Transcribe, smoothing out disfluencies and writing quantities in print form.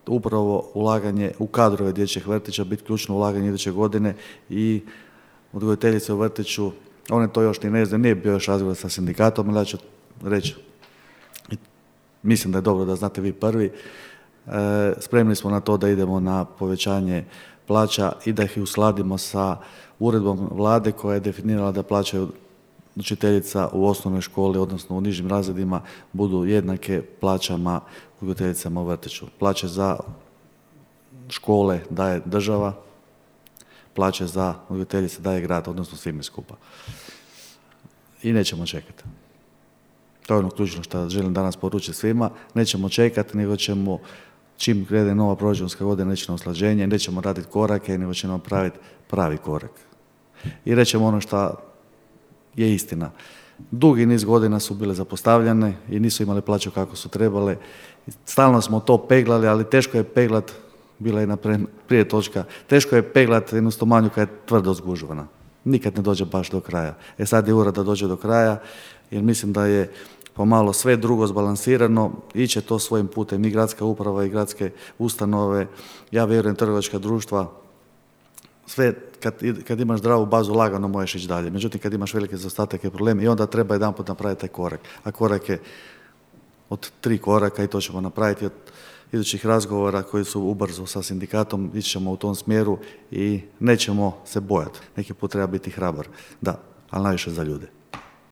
upravo ulaganje u kadrove dječjih vrtića biti ključno ulaganje iduće godine i odgojiteljice u vrtiću, one to još ni ne znaju, nije bio još razgovor sa sindikatom, ali ja ću reći, mislim da je dobro da znate vi prvi, spremni smo na to da idemo na povećanje plaća i da ih uskladimo sa uredbom vlade koja je definirala da plaće učiteljica u osnovnoj školi, odnosno u nižim razredima, budu jednake plaćama odgojiteljicama u vrtiću. Plaće za škole daje država, plaće za odgojiteljice daje grad, odnosno svime skupa. I nećemo čekati. To je ono ključno što želim danas poručiti svima. Nećemo čekati, nego ćemo, čim krene nova proračunska godina, neće na usklađenje, nećemo raditi korake, nego ćemo napraviti pravi korak. I rećemo ono što je istina. Dugi niz godina su bile zapostavljene i nisu imale plaću kako su trebale. Stalno smo to peglali, ali teško je peglat, bila je prije točka, teško je peglat jednu stomanju kad je tvrdo zgužvana. Nikad ne dođe baš do kraja. Sad je ura da dođe do kraja, jer mislim da je pomalo sve drugo zbalansirano, iće to svojim putem i gradska uprava i gradske ustanove, ja vjerujem trgovačka društva, sve kad imaš zdravu bazu lagano možeš ići dalje. Međutim, kad imaš velike zaostatke i probleme i onda treba jedanput napraviti taj korak. A korak je od 3 koraka i to ćemo napraviti od idućih razgovora koji su ubrzo sa sindikatom, ići ćemo u tom smjeru i nećemo se bojati. Neki put treba biti hrabar, da, ali najviše za ljude.